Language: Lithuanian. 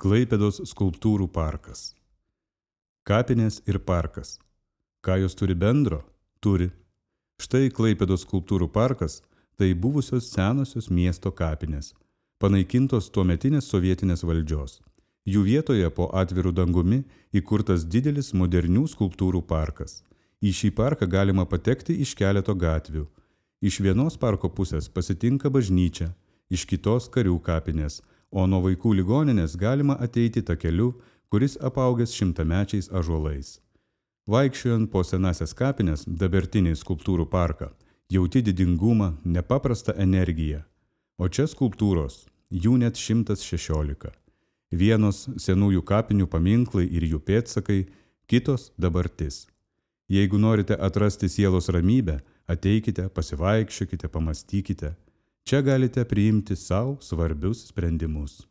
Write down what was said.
Klaipėdos skulptūrų parkas. Kapinės ir parkas. Ką jos turi bendro? Turi. Štai Klaipėdos skulptūrų parkas – tai buvusios senosios miesto kapinės, panaikintos tuometinės sovietinės valdžios. Jų vietoje po atviru dangumi įkurtas didelis modernių skulptūrų parkas. Į šį parką galima patekti iš keleto gatvių. Iš vienos parko pusės pasitinka bažnyčia, iš kitos karių kapinės, o nuo vaikų ligoninės galima ateiti takeliu, kuris apaugęs šimtamečiais ąžuolais. Vaikščiojant po senasias kapines, dabartinį skulptūrų parką, jauti didingumą, nepaprastą energiją. O čia skulptūros, jų net 116. Vienos senųjų kapinių paminklai ir jų pėdsakai, kitos dabartis. Jeigu norite atrasti sielos ramybę, ateikite, pasivaikščiokite, pamastykite. Čia galite priimti sau svarbius sprendimus.